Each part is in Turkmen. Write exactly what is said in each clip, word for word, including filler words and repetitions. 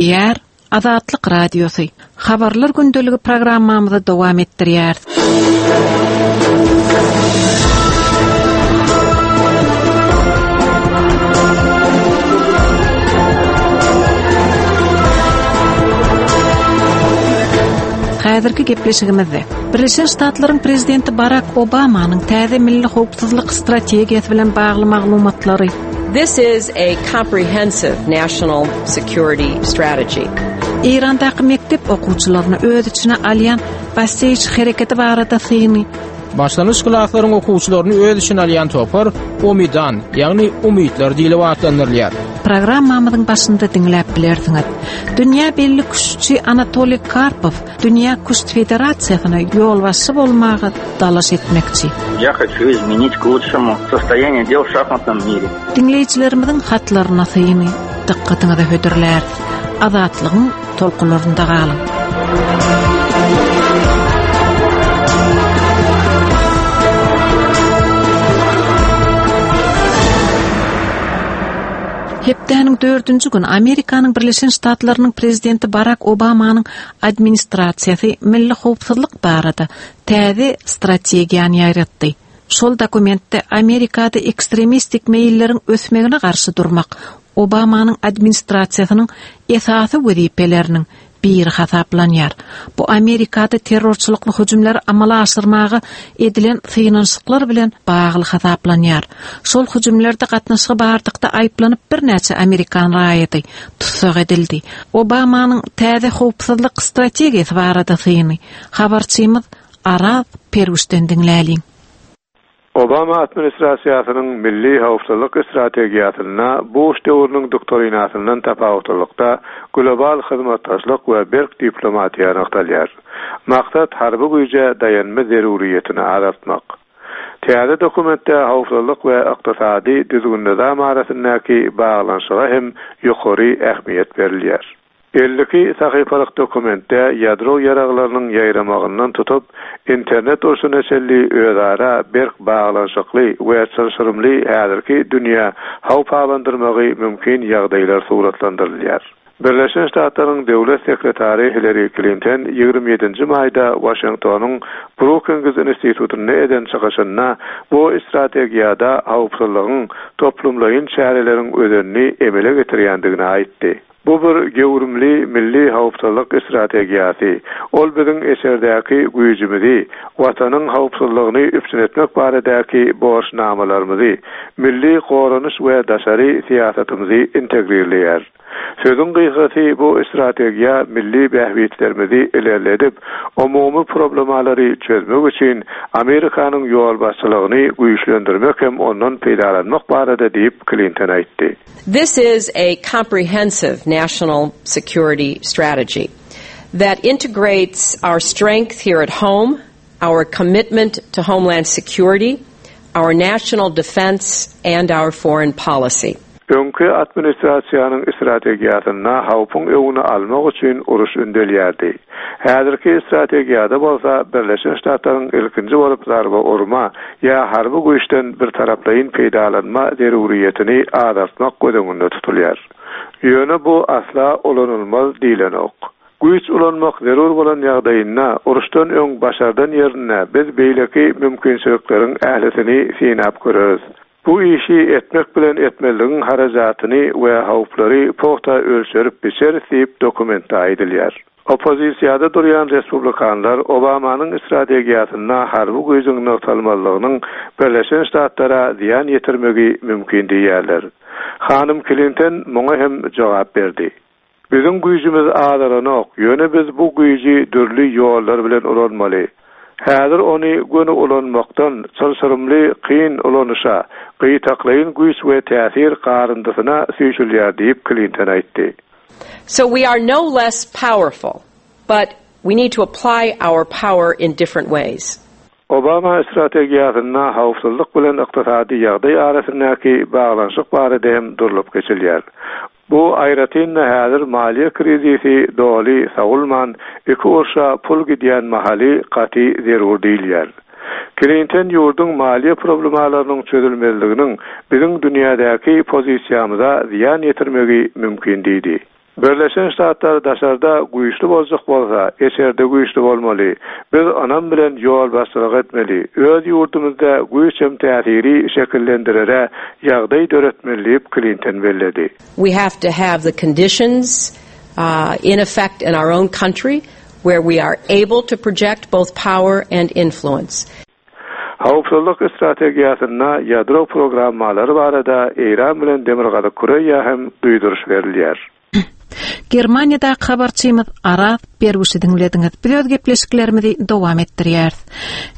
Gepleýär Azatlyk Radiosy. Habarlar gündeligi programmamyzy dowam etdirýär. Häzirki gepleşigimizde Birleşen Ştatlaryň prezidenti Barak Obamanyň täze milli howpsuzlyk strategiýasy bilen bagly maglumatlary This is a comprehensive national security strategy. Eýrandaky mekdep okuwçylaryny öz içine alýan Basij hereketi barada syny Başlangyç klaslaryň okuwçylaryny öz içine alýan topar Omidan, ýagny umytlar diýlip atlandyrylýar. Programmamyzyň başynda diňläp bilersiňiz. Dünýä belli küştçi Anatoliy Karpov Dünýä Küşt Federasiýasyna ýolbaşçy bolmaga dalaş etmekçi. Я хочу изменить к лучшему состояние дел в шахматном мире. Diňleýjilerimiziň hatlaryna syny dykgatyňyza hödürlär. Azatlygyň tolkunlarynda galyň. Hepdäniň dördünji güni Amerikanyň Birleşen Ştatlarynyň prezidenti Barak Obamanyň administrasiýasy milli howpsuzlyk barada täze strategiýany ýaýratdy. Şol dokumentde Amerikada ekstremistik meýilleriň ösmegine garşy durmak Obamanyň administrasiýasynyň esasy wezipeleriniň biri hasaplanýar. Bu Amerikada terrorçylykly hüjümleri amala aşyrmaga edilen synanyşyklar bilen bagly hasaplanýar. Şol hüjümlerde gatnaşygy bardykda aýyplanyp birnäçe Amerikan raýaty tussag edildi. Obamanyň täze howpsuzlyk strategiýasy barada syny habarçymyz Araz Perwişden diňläliň. Obama administrasiýasynyň milli howpsuzlyk strategiýasyna Bush döwrüniň doktrinasyndan tapawutlylykda global hyzmatdaşlyk we berk diplomatiýa nygtalýar. Maksat harby güýje daýanma zeruriyetini azaltmak. Täze dokumentde howpsuzlyk we ykdysady düzgün-nizam arasyndaky baglanyşyga hem ýokary ähmiýet berilýär. Elli iki sahypalyk dokumentde ýadro ýaraglarynyň ýaýramagyndan tutup, internet urşuna çenli özara berk baglanyşykly we çylşyrymly häzirki dünýä howp abandyrmagy mümkin ýagdaýlar suratlandyrylýar. Birleşen Ştatlaryň döwlet sekretary Hillary Clinton ýigrimi ýedinji maýda Washingtonyň Brookings institutynda eden çykyşynda bu strategiýada howpsuzlygyň toplumlaýyn çäreleriň özenini emele getirýändigini aýtdy. Bu bir gewrümli milli howpsuzlyk strategiýasy. Ol biziň eserdäki güýjümizi, watanyň howpsuzlygyny üpjün etmek baradaky borçnamalarymyzy, milli goranyş we daşary syýasatymyzy integrirleýär. Sözüň gysgasy bu strategiýa milli bähbitlerimizi ilerledip, umumy problemalary çözmek üçin Amerikanyň ýolbaşçylygyny güýçlendirmek hem ondan peýdalanmak barada diýip Clinton aýtdy. This is a comprehensive national security strategy that integrates our strength here at home, our commitment to homeland security, our national defense, and our foreign policy. Öňki administrasiýanyň strategiýasynda howpuň öňüni almak üçin uruş ündelýärdi. Häzirki strategiýada bolsa Birleşen Ştatlaryň ilkinji bolup zarba urma ýa harby güýçden bir taraplaýyn peýdalanma zeruriyetini azaltmak göz öňünde tutulýar. Ýöne bu asla ulanylmaz diýlenok. Güýç ulanmak zerur bolan ýagdaýynda uruşdan öň başardan ýerine biz beýleki mümkinçilikleriň ählisini synap göreris. Bu işi etmek bilen etmeligiň harajatyny we howplary pugta ölçerip biçeris diýip dokumentde aýdylýar. Oppozisiýada durýan respublikanlar Obamanyň strategiýasynda harby güýjüň nygtalmalygynyň Birleşen Ştatlara zyýan ýetirmegi mümkin diýýärler. Hanym Clinton muňa hem jogap berdi. Biziň güýjümiz azalanok, ýöne biz bu güýji dürli ýollar bilen ulanmaly. Häzir ony göni ulanmakdan çylşyrymly kyn ulanyşa, gytaklaýyn güýç we täsir garyndysyna süýşülýär diýip Clinton aýtdy. So we are no less powerful, but we need to apply our power in different ways. Obama strategiýasynda howpsuzlyk bilen ykdysady ýagdaý arasyndaky baglanyşyk barada hem durlup geçilýär. Bu aýratyn-da häzir maliýe krizisi doly sawulman, iki urşa pul gidýän mahaly gaty zerur diýilýär. Clinton ýurduň maliýe problemalarynyň çözülmezliginiň biziň dünýädäki pozisiýamyza zyýan ýetirmegi mümkin diýdi. Birleşen Ştatlar daşarda güýçli boljak bolsa, içerde güýçli bolmaly. Biz ynam bilen ýolbaşçylyk etmeli. Öz ýurdumyzda güýç hem täsiri şekillendirere ýagdaý döretmeli diýip Klinton belledi. We have to have the conditions uh, in effect in our own country where we are able to project both power and influence. Howpsuzlyk strategiýasynda ýadro programmalary barada Eýran bilen Demirgazyk Koreýa hem duýduryş berilýär. Germaniýadaky habarçymyz Araz Berguşy diňlediňiz. Biz öz gepleşiklerimizi dowam etdirýäris.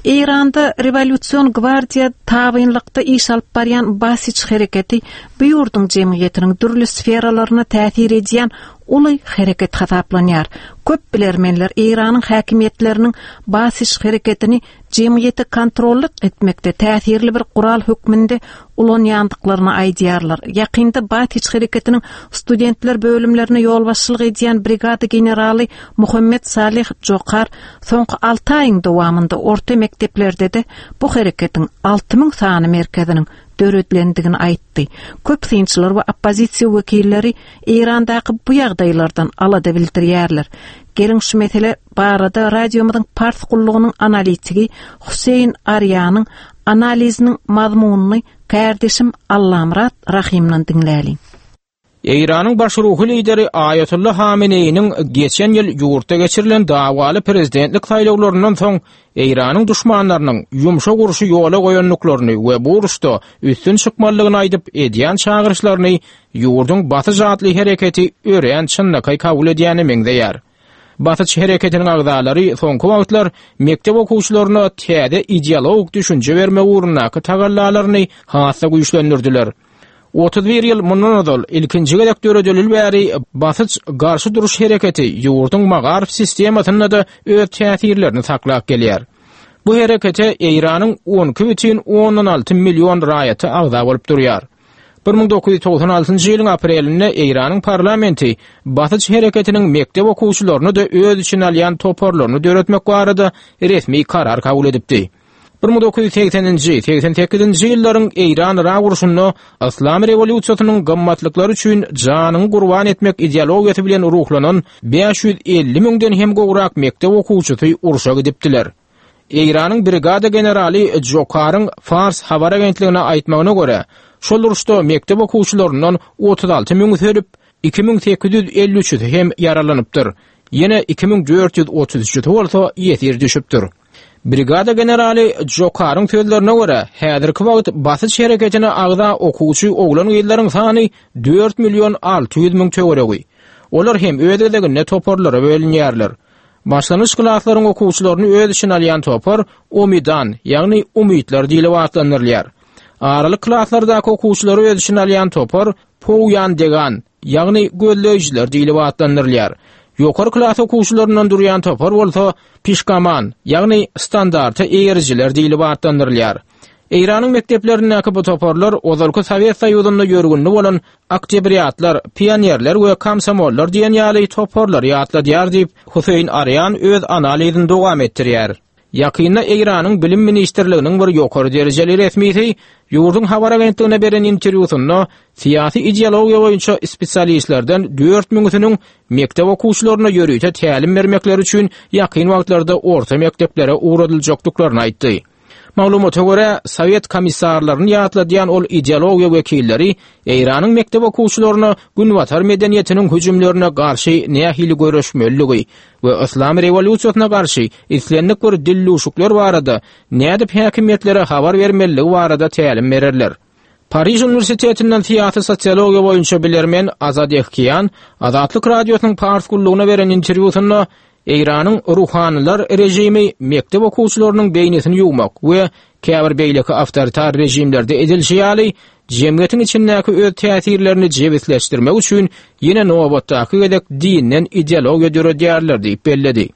Eýranda rewolýusion gwardiýa tabynlykda iş alyp barýan Basiç hereketi bu ýurduň jemgyýetiniň dürli sferalaryna täsir edýän uly hereket hasaplanýar. Köp bilermenler Eýranyň häkimiýetleriniň Basiç hereketini jemgyýeti kontrollyk etmekde täsirli bir gural hökmünde ulanýandyklaryny aýdýarlar. Ýakynda Basiç hereketiniň studentler bölümlerine ýolbaşçylyk edýän brigada generaly Muhammed Salih Jokar soňky alty aýyň dowamynda orta mekdeplerde-de bu hereketiň alty müň sany merkeziniň döredilendigini aýtdy. Köp synçylar we oppozisiýa wekilleri Eýrandaky bu ýagdaýlardan alada bildirýärler. Geliň şu mesele barada radiomyzyň Pars gullugynyň analitigi Huseýn Arýanyň analiziniň mazmunyny kardeşim Allamyrat Rahymdan diňläliň. Eýranyň baş ruhy lideri Aýatullah Hameneýiniň geçen ýyl ýurtda geçirilen dawaly prezidentlik saýlawlaryndan soň Eýranyň duşmanlarynyň ýumşak urşy ýola goýandyklaryny we bu uruşda üstün çykmalydygyny aýdyp edýän çagyryşlaryny ýurduň Basyç atly hereketi örän çynlakaý kabul edýäne meňzeýär. Basyç hereketiniň agzalary soňky wagtlar mekdep okuwçylaryna täze ideologik düşünje bermek ugrundaky tagallalaryny has-da güýçlendirdiler. Otuz bir ýyl mundan ozal ilkinji gezek döredilil bäri Basyç garşy duruş hereketi ýurduň magaryf sistemasynda-da öz täsirlerini saklap gelýär. Bu herekete Eýranyň on iki bütin ondan alty million raýaty agza bolup durýar. Bir müň dokuz ýüz togsan altynjy ýylyň aprelinde Eýranyň parlamenti Basyç hereketiniň mekdep okuwçylaryny da öz içine alýan toparlaryny döretmek barada resmi karar kabul edipdi. Bir müň dokuz ýüz segseninji, segsen sekizinji ýyllaryň Eýran-Irak urşunda Yslam rewolýusiýasynyň gymmatlyklary üçin janyňy gurban etmek ideologiýasy bilen ruhlanan bäş ýüz elli müňden hem gowrak mekdep okuwçysy urşa gidipdiler. Eýranyň brigada generaly Jokaryň Fars habar agentligine aýtmagyna görä, şol uruşda mekdep okuwçylaryndan otuz alty müňüsi ölüp, iki müň sekiz ýüz elli üçüsi hem ýaralanypdyr. Ýene iki müň dört ýüz otuz üçüsi bolsa ýesir düşüpdir. Brigada generaly Jokaryň sözlerine görä, häzirki wagt Basyç hereketine agza okuwçy oglan gyzlaryň sany dört million alty ýüz müň töweregi. Olar hem öz gezeginde toparlara bölünýärler. Başlangyç klaslaryň okuwçylaryny öz içine alýan topar Omidan, ýagny Umytlar diýlip atlandyrylýar. Aralyk klaslardaky okuwçylary öz içine alýan topar Pouýan Degan, ýagny gözleýjiler diýlip atlandyrylýar. Ýokary klas okuwçylaryndan durýan topar bolsa Pişkaman, ýagny standarta eýerijiler diýlip atlandyrylýar. Eýranyň mekdeplerindäki bu toparlar ozalky Sowet Soýuzynda ýörgünli bolan oktyabriatlar, pionerler we komsomollar diýen ýaly toparlary ýatladýar diýip Huseýn Arýan öz analizini dowam etdirýär. Ýakynda Eýranyň Bilim Ministrliginiň bir ýokary derejeli resmisi ýurduň habar agentligine beren interwýusynda syýasy ideologiýa boýunça spesialistlerden dört müňüsiniň mekdep okuwçylaryna ýörite tälim bermekleri üçin ýakyn wagtlarda orta mekdeplere ugradyljakdyklaryny aýtdy. Maglumata görä, Sowet komissarlaryny ýatladýan ol ideologiýa wekilleri Eýranyň mekdep okuwçylaryna Günbatar medeniýetiniň hüjümlerine garşy nähili göreşmeliligi we Yslam rewolýusiýasyna garşy islendik bir dilluşuklar barada nädip häkimiýetlere habar bermeliligi barada tälim bererler. Pariž Uniwersitetinden syýasy sosiologiýa boýunça bilermen Azad Ehkiýan Azatlyk Radiosynyň Pars gullugyna beren interwýusynda Eýranyň ruhanylar rejimi mekdep okuwçylarynyň beýnisini ýuwmak we käbir beýleki awtoritar rejimlerde edilişi ýaly jemgyýetiň içindäki öz täsirlerini jebisleşdirmek üçin ýene nobatdaky gezek dinden ideologiýa döredýärler diýip belledi.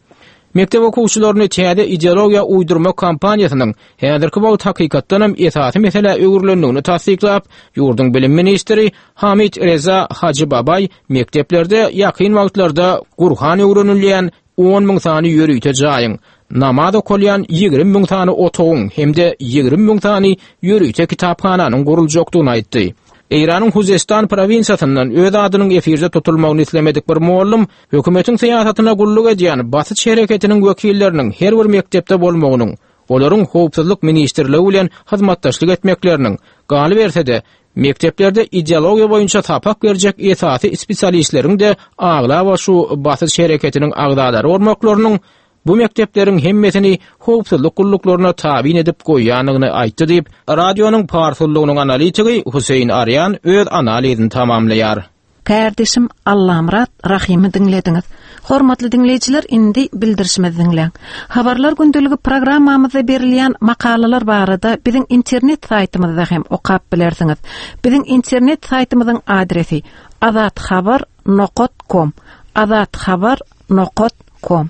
Mekdep okuwçylaryny täze ideologiýa uýdurmak kampaniýasynyň häzirki wagt hakykatdan hem esasy meselä öwrülendigini tassyklap, ýurduň bilim ministri Hamid Reza Hajy Babay mekdeplerde ýakyn wagtlarda Gurhan öwrenilýän on müň sany ýörite jaýyň, namaz okalýan ýigrimi müň sany otagyň hem-de ýigrimi müň sany ýörite kitaphananyň guruljakdygyny aýtdy. Eýranyň Huzestan prowinsiýasyndan öz adynyň efirde tutulmagyny islemedik bir mugallym hökümetiň syýasatyna gulluk edýän Basyç hereketiniň wekilleriniň her bir mekdepde bolmagynyň, olaryň howpsuzlyk ministrligi bilen hyzmatdaşlyk etmekleriniň, galyberse-de, mekdeplerde ideologiýa boýunça sapak berjek esasy spesialistleriň-de aglaba şu Basyç hereketiniň agzalary bolmaklarynyň bu mekdepleriň hemmesini howpsuzlyk gulluklaryna tabyn edip goýýandygyny aýtdy diýip, radionyň pars gullugynyň analitigi Hüseýin Arýan öz analizini tamamlaýar. Kärdeşim Allamyrat Rahymy diňlediňiz. Hormatly diňleýjiler, indi bildirişimizi diňläň. Habarlar gündeligi programmamyzda berilýän makalalar barada biziň internet saýtymyzda hem okap bilersiňiz. Biziň internet saýtymyzyň adresi azathabar nokat com, azathabar nokat com.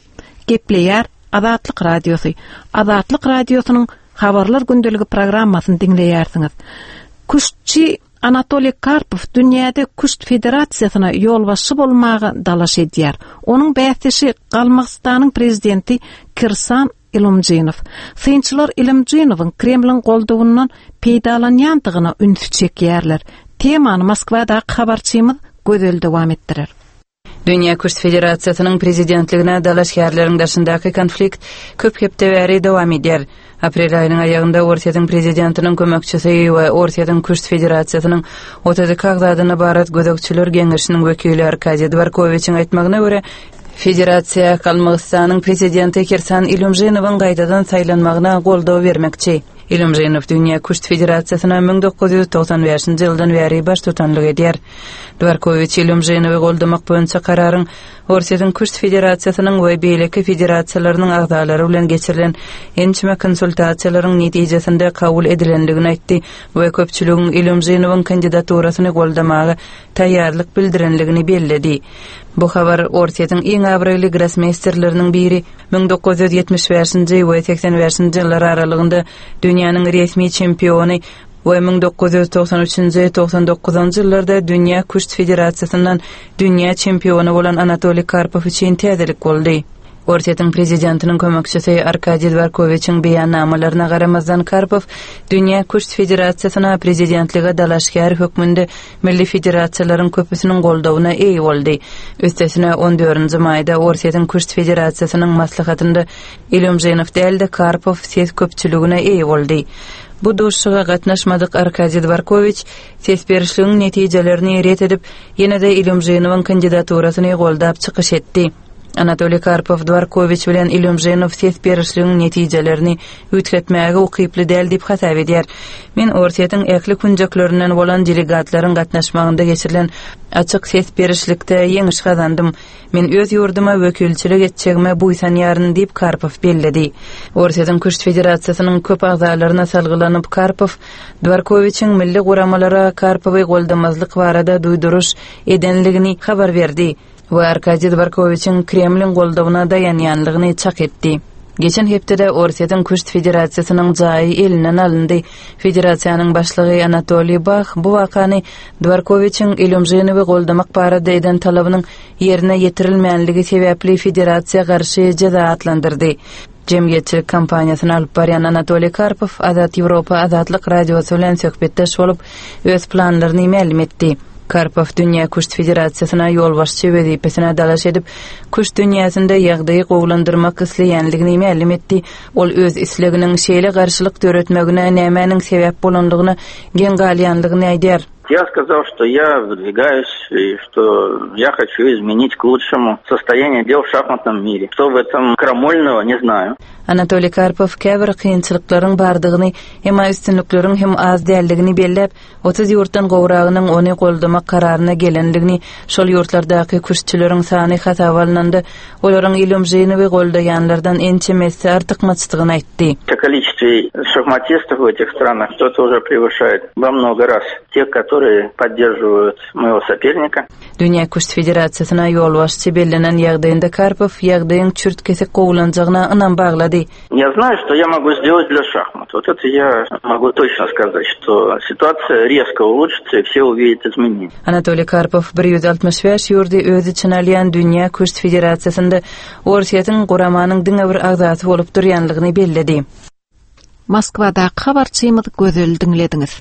Gepleýär Azatlyk Radiosy. Azatlyk Radiosynyň Habarlar gündeligi programmasyny diňleýärsiňiz. Küştçi Anatoliý Karpow dünýäde Küşt federasiýasyna ýolbaşçy bolmaga dalaş edýär. Onuň bäsdeşi Galmygystanyň prezidenti Kirsan Ilumjinow. Synçylar Ilumjinowyň Kremliň goldawyndan peýdalanýandygyna ünsi çekýärler. Temany Moskwadaky habarçymyz Gözel dowam etdirer. Dünýä Küşt federasiýasynyň prezidentligine dalaşgärleriň daşyndaky konflikt köp hepde bäri dowam edýär. Aprel aýynyň aýagynda Orsýetiň prezidentiniň kömekçisi we Orsýetiň Küşt federasiýasynyň otuz iki agzadan ybarat gözegçiler geňeşiniň wekili Arkadiý Dworkowiçiň aýtmagyna görä, federasiýa Galmygystanyň prezidenti Kirsan Ilýumžinowyň gaýtadan saýlanmagyna goldaw bermekçi. Ilýumžinow Dünýä Küşt federasiýasyna müň dokuz ýüz togsan bäşinji ýyldan bäri baştutanlyk edýär. Dworkowiç Ilýumžinowy goldamak boýunça kararyň Orsýetiň Küşt federasiýasynyň we beýleki federasiýalarynyň agzalary bilen geçirilen ençeme konsultasiýalaryň netijesinde kabul edilendigini aýtdy we köpçüligiň Ilýumžinowyň kandidaturasyny goldamaga taýýarlyk bildirenligini belledi. Bu habar Orsýetiň iň abraýly grossmeýsterleriniň biri müň dokuz ýüz ýetmiş bäşinji we segsen bäşinji ýyllar aralygynda dünýäniň resmi çempiony we müň dokuz ýüz togsan üçünji, togsan dokuzynjy ýyllarda Dünýä Küşt federasiýasyndan dünýä çempiony bolan Anatoliý Karpow üçin täzelik boldy. Orsýetiň prezidentiniň kömekçisi Arkadiý Dworkowiçiň beýannamalaryna garamazdan Karpow Dünýä Küşt federasiýasyna prezidentlige dalaşgär hökmünde milli federasiýalaryň köpüsiniň goldawyna eýe boldy. Üstesine on dördünji maýda Orsýetiň Küşt federasiýasynyň maslahatynda Ilýumžinow däl-de Karpow ses köpçüligine eýe boldy. Bu duşuşyga gatnaşmadyk Arkadiý Dworkowiç ses berişligiň netijelerini ret edip, ýene-de Ilýumžinowyň kandidaturasyny goldap çykyş etdi. Anatoliý Karpow Dworkowiç bilen Ilýumžinow ses berişligiň netijelerini üýtgetmäge ukyply däl diýip hasap edýär. Men Orsýetiň ähli künjeklerinden bolan delegatlaryň gatnaşmagynda geçirilen açyk ses berişlikde ýeňiş gazandym. Men öz ýurduma wekilçilik etjegime buýsanýaryn diýip Karpow belledi. Orsýetiň Küşt federasiýasynyň köp agzalaryna salgylanyp Karpow Dworkowiçiň milli guramalara Karpowy goldamazlyk barada duýduryş edenligini habar berdi we Arkadiý Dworkowiçiň Kremliň goldawyna daýanýanlygyny çak etdi. Geçen hepdede Orsýetiň Küşt federasiýasynyň jaýy elinden alyndy. Federasiýanyň başlygy Anatoliý Bah bu wakany Dworkowiçiň Ilýumžinowy goldamak barada eden talabynyň ýerine ýetirilmänligi sebäpli federasiýa garşy jeza atlandyrdy. Jemgyýetçilik kampaniýasyny alyp barýan Anatoliý Karpow Azat Ýewropa Azatlyk radiosy bilen söhbetdeş bolup, öz planlaryny mälim etdi. Karpow Dünýä Küşt federasiýasyna ýolbaşçy wezipesine dalaş edip, küşt dünýäsinde ýagdaýy gowulandyrmak isleýänligini mälim etdi. Ol öz isleginiň şeýle garşylyk döretmegine nämäniň sebäp bolanlygyna geň galýanlygyny aýdýar. Я сказал, что я выдвигаюсь и что я хочу изменить к лучшему состояние дел в шахматном мире. Что в этом крамольного, не знаю. Anatoliý Karpow käbir kynçylyklaryň bardygyny, emma üstünlikleriň hem az däldigini belläp, otuz ýurtdan gowragynyň ony goldamak kararyna gelenligini, şol ýurtlardaky küştçüleriň sany hasaba alynanda, olaryň Ilýumžinowy goldaýanlardan ençemesi artykmaçdygyny aýtdy. Количество шахматистов в этих странах кто-то уже превышает во много раз тех, которые поддерживают моего соперника. Dünýä Küşt federasiýasyna ýolbaşçy bellenen ýagdaýynda Karpow ýagdaýyň çürt-kesik gowulanjagyna ynam baglady. Я знаю, что я могу сделать для шахмат. Вот это я могу точно сказать, что ситуация резко улучшится и все увидят изменения. Anatoliý Karpow bir ýüz altmyş bäş ýurdy öz içine alýan Dünýä Küşt federasiýasynda Orsýetiň guramanyň diňe bir agzasy bolup durýanlygyny belledi. Moskwadaky habarçymyz Gözel diňlediňiz.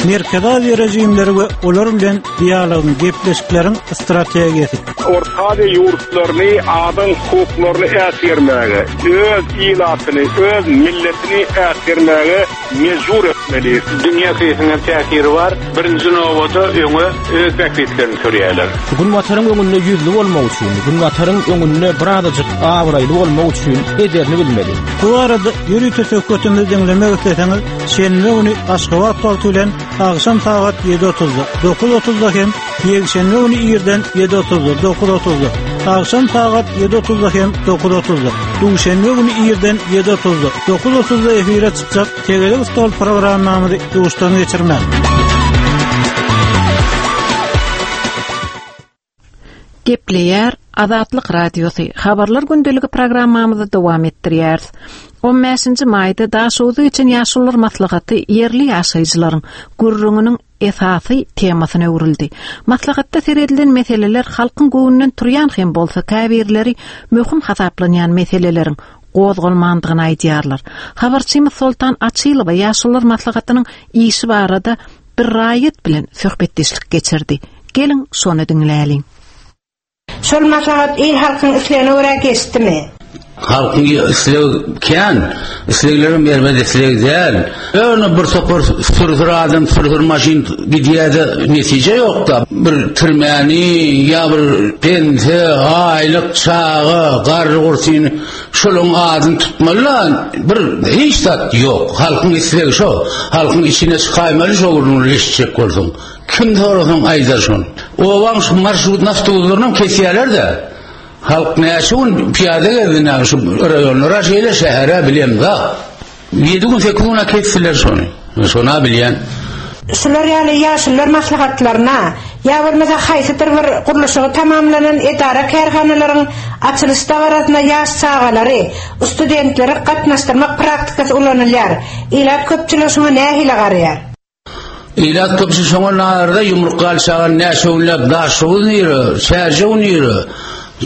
Merkezi Aziýa režimleri we olar bilen dialogyň, gepleşikleriň strategiýasy. Orta Aziýa ýurtlaryny adam hukuklaryny äsgermäge, öz ilatyny, öz milletini äsgermäge mejbur etmeli. Dünýä kriziň täsiri bar. Birinji nowada öňe öz bähbitlerini sürýärler. Günbataryň öňünde ýüzli bolmak üçin, Günbataryň öňünde birazajyk abraýly bolmak üçin ederini bilmeli. Bu arada ýörite söhbetimizi diňlemek isleseňiz, şenbe güni Aşgabat wagty bilen akşam sagat ýedi otuzda, dokuz otuzda hem ýekşenbe güni irden ýedi otuzda, dokuz otuzda, akşam sagat ýedi otuzda hem dokuz otuzda, duşenbe güni irden ýedi otuzda, dokuz otuzda efire çykjak Tegelek stol programmamyzy duşdan geçirmän. Gepleýär Azatlyk Radiosy. Habarlar gündeligi programmamyzy dowam etdirýäris. On bäşinji maýda Daşoguzda geçen ýaşulular maslahaty ýerli ýaşaýjylaryň gürrüňiniň esasy temasyna öwrüldi. Maslahatda seredilen meseleler halkyň göwnünden turýan hem bolsa käbirleri möhüm hasaplanýan meseleleriň gozgalmandygyny aýdýarlar. Habarçymyz Soltan Açylowa ýaşulular maslahatynyň işi barada bir raýat bilen söhbetdeşlik geçirdi. Geliň şony diňläliň. Şol maslahat il halkyň islegine görä geçdimi? Halkyň islegi kän, isleglerim erbet isleg däl. Ýöne bir topar sürsür adam, sürsür maşyn gidýär-de netije ýok-da. Bir türmäni ýa bir pense, aýlyk, çaga, garry gursyny şolaryň adyny tutmaly-da, bir hiç zat ýok. Halkyň islegi şo. Halkyň içine çykaýmaly şo gürrüňleri eşitjek bolsaň. Kim sorasaň aýdar şony. Obaň şu marşrut awtobuslarynam kesýärler-de. Halk näçe gün piýada gezdi näme şu raýonlara şeýle şähere bilemzok. Ýedi gün sekiz güne kesdiler şony. Şona bilýän. Şular ýaly ýaşulular maslahatlaryna ýa bolmasa haýsydyr bir gurluşygy tamamlanan edara kärhanalaryň açylyş dabarasyna ýaş çagalary, studentleri gatnaşdyrmak praktikasy ulanylýar. Ilat köpçüligi şoňa nähili garaýar? Ilat köpçüligi şoňa narda ýumruk galçagan näçe günläp Daşoguz nire, Çärjew nire,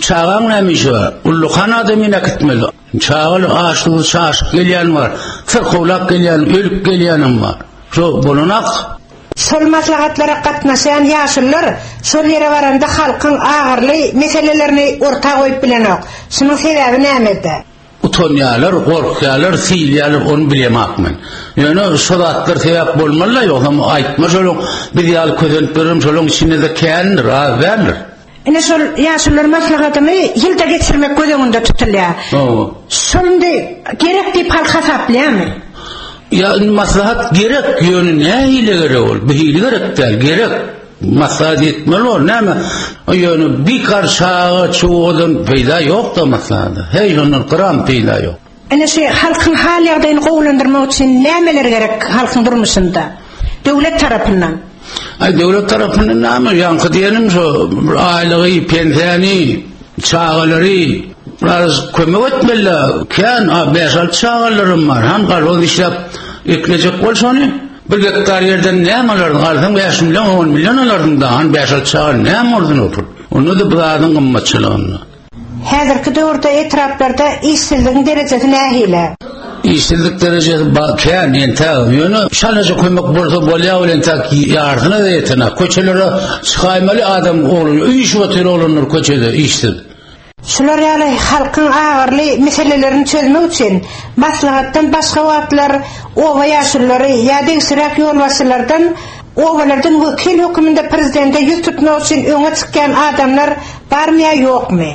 çagaň näme işi bar? Ullukan adamyny äkitmeli. Çagaly açlygy çaşyp gelýän bar, syrkawlap gelýän, ölüp gelýänem bar. Şo bolanak. Şol maslahatlara gatnaşýan ýaşulular şol ýere baranda halkyň agyrly meselelerini orta goýup bilenok. Şunuň sebäbi nämede? Utanýarlar, gorkýarlar, siýilýärler, ony bilemok men. Ýöne şo zatlar sebäp bolmaly-da, ýogsam aýtma şolaň biz ýaly kösenip ýörem, şolaň içinde-de kändir, az däldir. Ine şol ýaşulular maslahatyny ýylda geçirmek göz öňünde tutulýar. Hawa. Şol indi gerek diýip halk hasaplaýarmy? Ýa indi maslahat gerek, ýöne nähili gerek ol? Bu hili gerek däl, gerek. Maslahat etmeli ol, näme? Ýöne bikar çaga çuwadan peýda ýok-da maslahata. Heý, ondan gram peýda ýok. Ine şu halkyň hal ýagdaýyny gowulandyrmak üçin nämeler gerek halkyň durmuşynda? Döwlet tarapyndan. Aý, döwlet tarapyndan näme? Ýaňky diýenim şo aýlygy, pensiýany, çagalary biraz kömek etmeli. Kän, a, bäş-alty çagalarym bar. Han galboz işläp eklejek bol şony. Bir gektar ýerden näme alardyň? Alsaň bäş million, on million alardyň da. Han bäş-alty çaga näme bolsun o pul? Onda-da bu zadyň gymmatçylygynda. Häzirki döwürde etraplarda işsizligiň derejesi nähili? Işsizlik derejesi ba-, kän, entäk. Ýöne şalaja kömek bolsa bolýar, ol entäk ýarsyna da ýetenak. Köçelere çykaýmaly adam oglan, üýşüp otyr oglanlar köçede işsiz. Şular ýaly halkyň agyrly meselelerini çözmek üçin maslahatdan başga wagtlar oba ýaşululary ýa degişliräk ýolbaşçylardan obalardan wekil hökmünde prezidente ýüz tutmak üçin öňe çykýan adamlar barmy ýa ýokmy?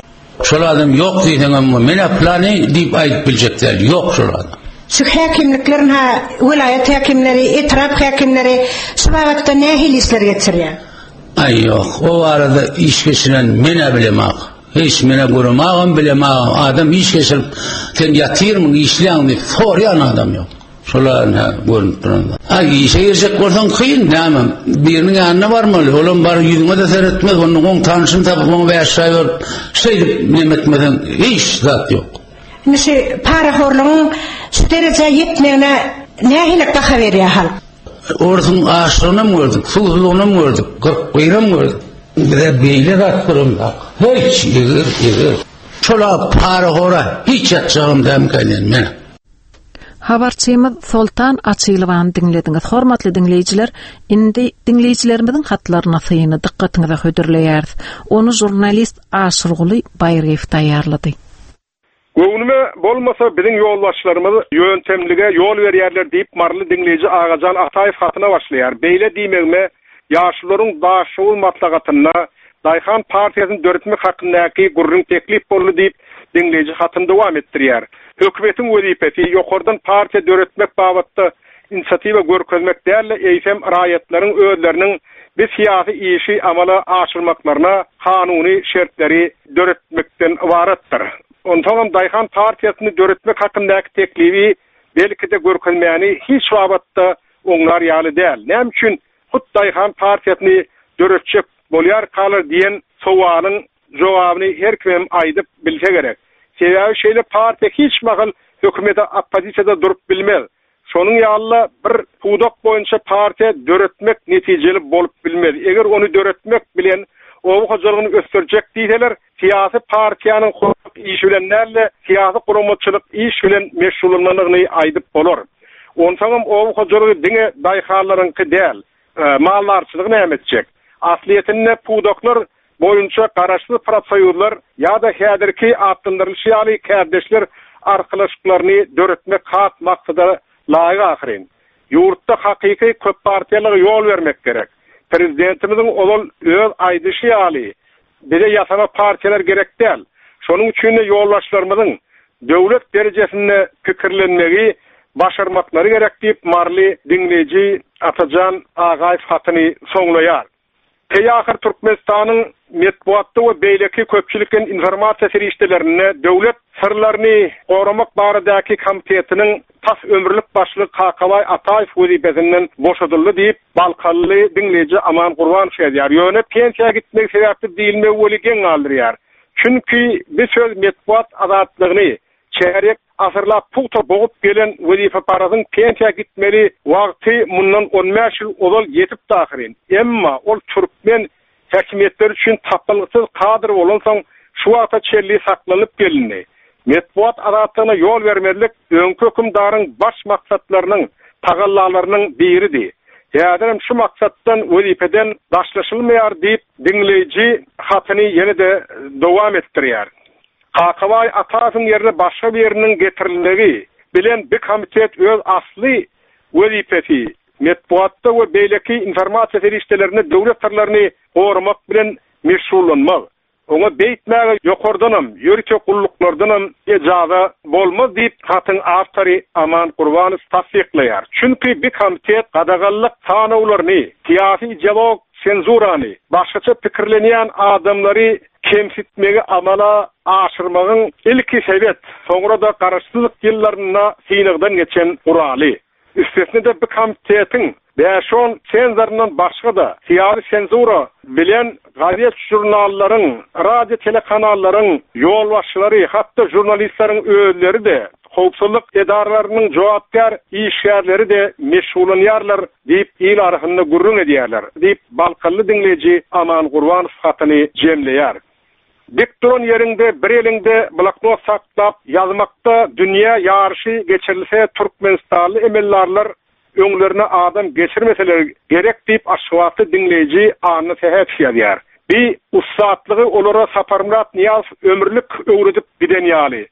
Şol adam ýok diýseňem, men plany diýip aýdyp biljek däl, ýok şol adam. Şu häkimliklerin ha welaýat häkimleri, etrap häkimleri şu babatda nähili işler geçirýär? Aý ýok, o barada iş geçiren men bilemok. Hiç mene göremagam bilemagam. Adam iş geçirip sen ýatyrmyň, işleýäň diýip soraýan adam ýok. Şolar ne görünüp duran. Aý işe girjek bolsaň kyn, näme? Biriniň ýanyna barmaly, olam bar ýüzüňe de seretmez, onuň oň tanşyny tapyp oňa bäş çaý berip, şeýdip neme etmeseň hiç zat ýok. Indi şu parahorlugyň şu derejä ýetmegine nähili baha berýär halk? Orsuň açlygynam gördük, suwsuzlygynam gördük, kyrk biram gördük. Bize beýle zat göremzok. Hiç, eger, eger. Şola parahora hiç ýatjagym dämkä men. Habarçymyz Soltan Açylowany diňlediňiz. Hormatly diňleýjiler, indi diňleýjilerimiziň hatlaryna syny dykgatyňyza hödürleýäris. Ony žurnalist Aşyrguly Baýryýew taýýarlady. Göwnüme bolmasa biziň ýolbaşçylarymyz ýöntemlige ýol berýärler diýip Maryly diňleýji Agajan Ataýew hatyna başlaýar. Beýle diýmegime ýaşulularyň Daşoguz maslahatynda Daýhan partiýasyny döretmek hakyndaky gürrüň teklip boldy diýip diňleýji hatyny dowam etdirýär. Hökümetiň wezipesi ýokardan partiýa döretmek babatda inisiatiwa görkezmek däl-de, eýsem raýatlaryň özleriniň bir syýasy işi amala aşyrmaklaryna kanuny şertleri döretmekden ybaratdyr. Onsoňam Daýhan partiýasyny döretmek hakyndaky teklibi belki-de görkezmäni hiç babatda oňlar ýaly däl. Näme üçin hut Daýhan partiýasyny döretjek bolýarkalar diýen sowalyň jogabyny her kim aýdyp bilse gerek. Sebäbi şeýle partiýa hiç mahal hökümete oppozisiýada durup bilmez. Şonuň ýaly bir pudak boýunça partiýa döretmek netijeli bolup bilmez. Eger ony döretmek bilen oba hojalygyny ösdürjek diýseler, syýasy partiýanyň hukuk işi bilen däl-de, syýasy guramaçylyk iş bilen meşgullanmagyny aýdyp bolar. Onsoňam oba hojalygy diňe daýhanlaryňky däl, maldarçylygy näme etjek? Aslyýetinde pudaklar boýunça garaşsyz profsoýuzlar ýa-da häzirki atlandyrylyşy ýaly kärdeşler arkalaşyklaryny döretmek has maksada laýyk ahyryn. Ýurtda hakyky köp partiýalyga ýol bermek gerek. Prezidentimiziň ozal öz aýdyşy ýaly bize ýasama partiýalar gerek däl. Şonuň üçin de ýolbaşçylarymyzyň döwlet derejesinde pikirlenmegi başarmaklary gerek diýip Maryly diňleýji Atajan Agaýew hatyny soňlaýar. Teýahyr Türkmenistanyň metbugatda we beýleki köpçülikleýin informasiýa serişdelerinde döwlet syrlaryny goramak baradaky komitetiniň tas ömürlik başlygy Kakabaý Ataýew wezipesinden boşadyldy diýip Balkanly diňleýji Aman Gurbanow ýazýar. Ýöne pensiýa gitmek sebäpli diýilmegi weli geň galdyrýar. Çünki bu söz metbugat azatlygyny çärýek asyrlap pugta bogup gelen wezipeparazyň pensiýa gitmeli wagty mundan on bäş ýyl ozal ýetip ahyryn. Emma ol türkmen häkimiýetleri üçin tapylgysyz kadr bolansoň şu wagta çenli saklanyp gelindi. Metbugat azatlygyna ýol bermezlik öňki hökümdaryň baş maksatlarynyň, tagallalarynyň biridi. Häzirem şu maksatdan wezipeden daşlaşylmaýar diýip diňleýji hatyny ýene-de dowam etdirýär. Kakabaý Ataýewiň ýerine başga biriniň getirilmegi bilen bir komitet öz asly wezipesi metbugatda we beýleki informasiýa serişdelerinde döwlet syrlaryny goramak bilen meşgullanmaz. Oňa beýtmäge ýokardanam, ýörite gulluklardanam ejaza bolmaz diýip hatyň awtory Aman Gurbanow tassyklaýar. Çünki bir komitet gadaganlyk sanawlaryny, syýasy ideolog senzurany, başgaça pikirlenýän adamlary kemsitmegi amala aşyrmagyň ilki sebet, soňra da garaşsyzlyk ýyllarynda synagdan geçen guraly. Üstesine de bir komitetiň bäş-on senzorundan başga da syýasy senzura bilen gazet žurnallaryň, radio telekanallaryň ýolbaşçylary, hatda žurnalistleriň özleri de, howpsuzlyk edaralarynyň jogapkär işgärleri de meşgullanýarlar diýip il arasynda gürrüň edýärler diýip Balkanly diňleýji Aman Gurbanow hatyny jemleýär. Dik duran ýeriňde bir eliňde bloknot saklap ýazmakda dünýä ýaryşy geçirilse Türkmenistanly emeldarlar öňlerine adam geçirmeseler gerek diýip Aşgabatly diňleýji Anna Sähetow ýazýar. Bi ussatlygy olara Saparmyrat Nyýazow ömürlik öwredip giden ýaly.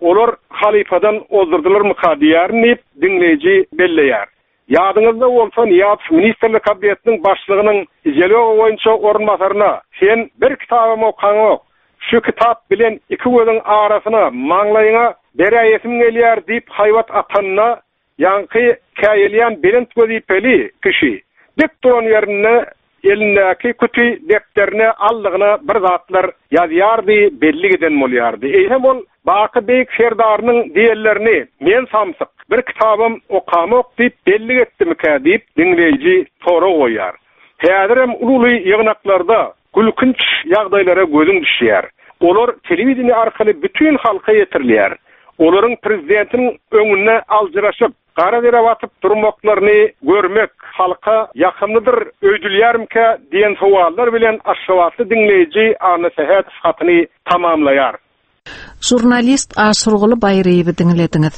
Olar halypadan ozdurdylarmyka diýýärin diýip diňleýji belleýär. Ýadyňyzda bolsa Nyýazow Ministrler Kabinetiniň başlygynyň ideologiýa boýunça orunbasaryna sen bir kitabym okaňok, şu kitap bilen iki gözüň arasyna maňlaýyňa beräýesim gelýär diýip haýbat atanyna ýaňky käýelýän belent wezipeli kişi dik duran ýerinde elindäki küti defterine aldygyna bir zatlar ýazýardy, belli giden bolýardy. Eýsem ol Baky Beýik Serdarynyň diýenlerini men samsyk, bir kitabym okamok diýip belli etdimikä diýip diňleýji sorag goýýar. Häzirem uly ýygnaklarda gülkünç ýagdaýlara gözüň düşýär. Olar telewideniýe arkaly bütün halka ýetirilýär. Olaryň prezidentiniň öňünde aljyraşyp, gara dere batyp durmaklaryny görmek halka ýakymlydyr öýdülýärmikä diýen sowallar bilen Aşgabatly diňleýji Anna Sähetow hatyny tamamlaýar. Žurnalist Aşurguly Baýryýewi diňlediňiz.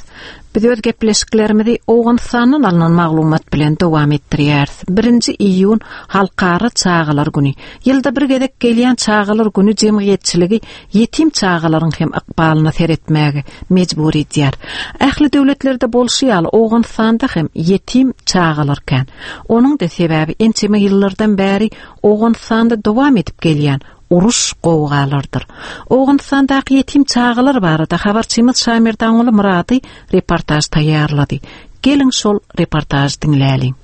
Biz öz gepleşiklerimizi Owganystandan alnan maglumat bilen dowam etdirýäris. Birinji iýun Halkara çagalar güni. Ýylda bir gezek gelýän çagalar güni jemgyýetçiligi ýetim çagalaryň hem ykbalyna seretmäge mejbur edýär. Ähli döwletlerde bolşy ýaly Owganystanda hem ýetim çagalar kän. Onuň da sebäbi ençeme ýyllardan bäri Owganystanda dowam edip gelýän uruş gowgalardyr. Owganystandaky ýetim çagalar barada habarçymyz Şamirdanguly Murady reportaž taýýarlady. Geliň şol reportaž diňläliň.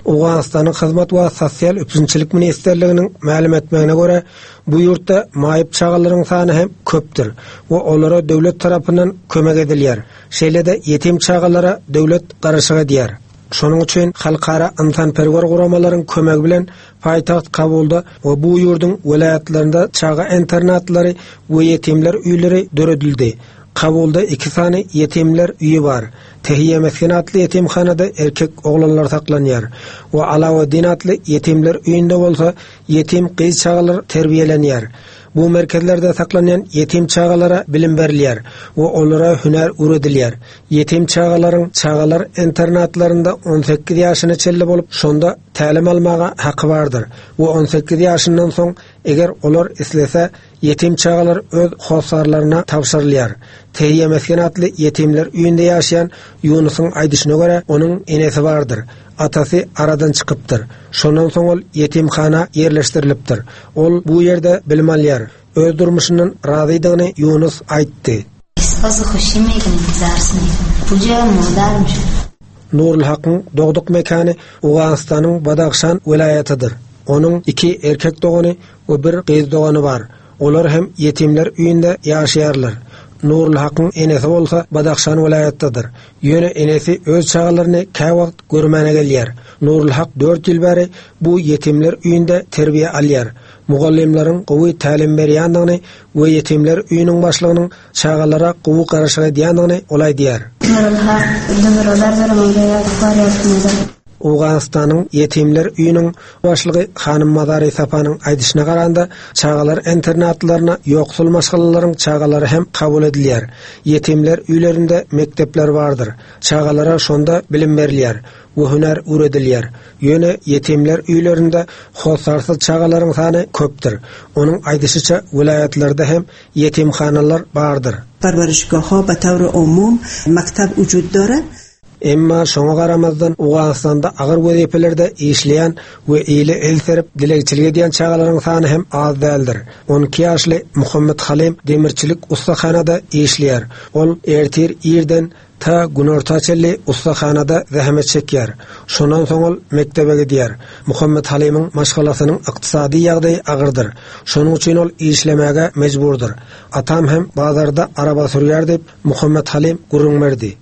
Owganystanyň Hyzmat we Sosial üpjünçilik ministrliginiň mälim etmegine görä, bu ýurtda maýyp çagalaryň sany hem köpdür we olara döwlet tarapyndan kömek edilýär. Şeýle-de ýetim çagalara döwlet garaşyk edýär. Şonuň üçin halkara ynsanperwer guramalaryň kömegi bilen paýtagt Kabulda we bu ýurduň welaýatlarynda çaga internatlary we ýetimler öýleri döredildi. Kabulda iki sany ýetimler öýi bar. Tehiye Meskin atly ýetimhanada erkek oglanlar saklanýar we Alaweddin atly ýetimler öýünde bolsa ýetim gyz çagalar terbiýelenýär. Bu merkezlerde saklanýan ýetim çagalara bilim berilýär we olara hünär öwredilýär. Ýetim çagalaryň çagalar internatlarynda on sekiz ýaşyna çenli bolup, şonda tälim almaga haky bardyr. We on sekiz ýaşyndan soň eger olar islese ýetim çagalar öz hossarlaryna tabşyrylýar. Tehiye Meskin atly ýetimler öýünde ýaşaýan Ýunusyň aýdyşyna görä onuň enesi bardyr. Atasy aradan çykypdyr. Şondan soň ol ýetimhana ýerleşdirilipdir. Ol bu ýerde bilim alýar. Öz durmuşyndan razydygyny Ýunus aýtdy. Nurul Hakyň dogduk mekany Owganystanyň Badahşan welaýatydyr. Onuň iki erkek dogany we bir gyz dogany bar. Olar hem ýetimler öýünde ýaşaýarlar. Nurul Hakyň enesi bolsa Badahşan welaýatdadyr. Ýöne enesi öz çagalaryny käwagt görmäne gelýär. Nurul Hak dört ýyl bäri bu ýetimler öýünde terbiýe alýar. Mugallymlaryň gowy tälim berýändigini we ýetimler öýüniň başlygynyň çagalara gowy garaşyk edýändigini ol aýdýar. Nurul Hak Owganystanyň ýetimler öýüniň başlygy Hanym Mazari Sapanyň aýdyşyna garanda, çagalar internatlaryna ýoksul maşgalalaryň çagalary hem kabul edilýär. Ýetimler öýlerinde mekdepler bardyr. Çagalara şonda bilim berilýär we hünär öwredilýär. Ýöne ýetimler öýlerinde hossarsyz çagalaryň sany köpdür. Onuň aýdyşyça welaýatlarda hem ýetimhanalar bardyr. Parvarişgahha be tawr umum maktab wujud dora. Emma şoňa garamazdan Owganystanda agyr wezipelerde işleýän we ile el serip dilegçilik edýän çagalaryň sany hem az däldir. on iki ýaşly Muhammed Halim demirçilik ussahanada işleýär. Ol ertir irden ta günorta çenli ussahanada zähmet çekýär. Şondan soň ol mekdebe gidýär. Muhammed Halim'iň maşgalasynyň ykdysady ýagdaýy agyrdyr. Şonuň üçin ol işlemäge mejburdyr. Atam hem bazarda araba sürýär diýip Muhammed Halim gürrüň berdi.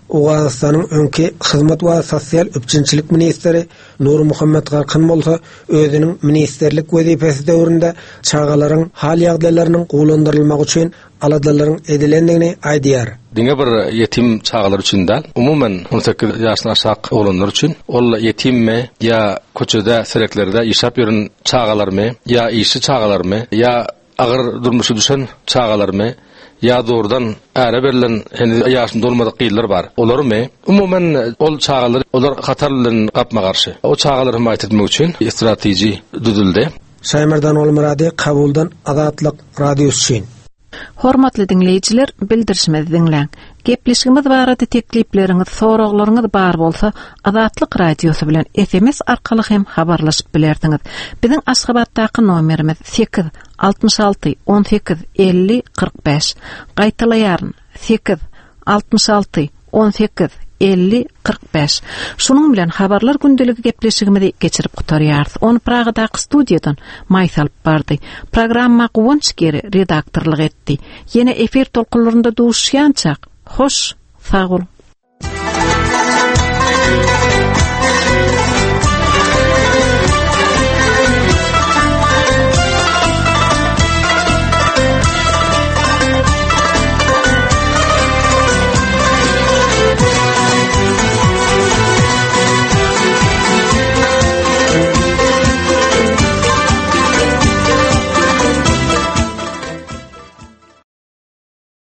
Owganystanyň öňki Hyzmat we Sosial üpjünçilik ministri Nur Muhammed Garkyn bolsa özüniň ministerlik wezipesi döwründe çagalaryň hal ýagdaýlarynyň gowulandyrylmagy üçin aladalaryň edilendigini aýdýar. Diňe bir ýetim çagalar üçin däl, umuman on sekiz ýaşdan aşak oglanlar üçin, ol ýetimmi ýa köçede, sereklerde işläp ýören çagalarmy, ýa işçi çagalarmy, ýa agyr durmuşa düşen çagalarmy, ýa doğrudan äre berlen henüz ýaşyny dolmadyk gyzlar bar. Olarmy? Umuman ol çagalar, olar hatar bilen gapma garşy. O çagalary himaýat etmek üçin strateji düzüldi. Şaýmerdan Olmurady Kabuldan Azatlyk Radiosy üçin. Hormatly diňleýjiler, bildirişimizi diňläň. Gepleşigimiz barada teklipleriňiz, soraglaryňyz bar bolsa, Azatlyk Radiosy bilen S M S arkaly hem habarlaşyp bilersiňiz. Biziň Aşgabatdaky nomerimiz sekiz altmyş alty on sekiz elli kyrk bäş. Gaýtalaýaryn, sekiz altmyş alty on sekiz elli kyrk bäş. Şunuň bilen habarlar gündeligi gepleşigimizi geçirip gutarýarys. Ony Pragadaky studiýadan Maýsa alyp bardy. Programma Guwanç Geri redaktorlyk etdi. Ýene efir tolkunlarynda duşýançak, hoş, sag boluň.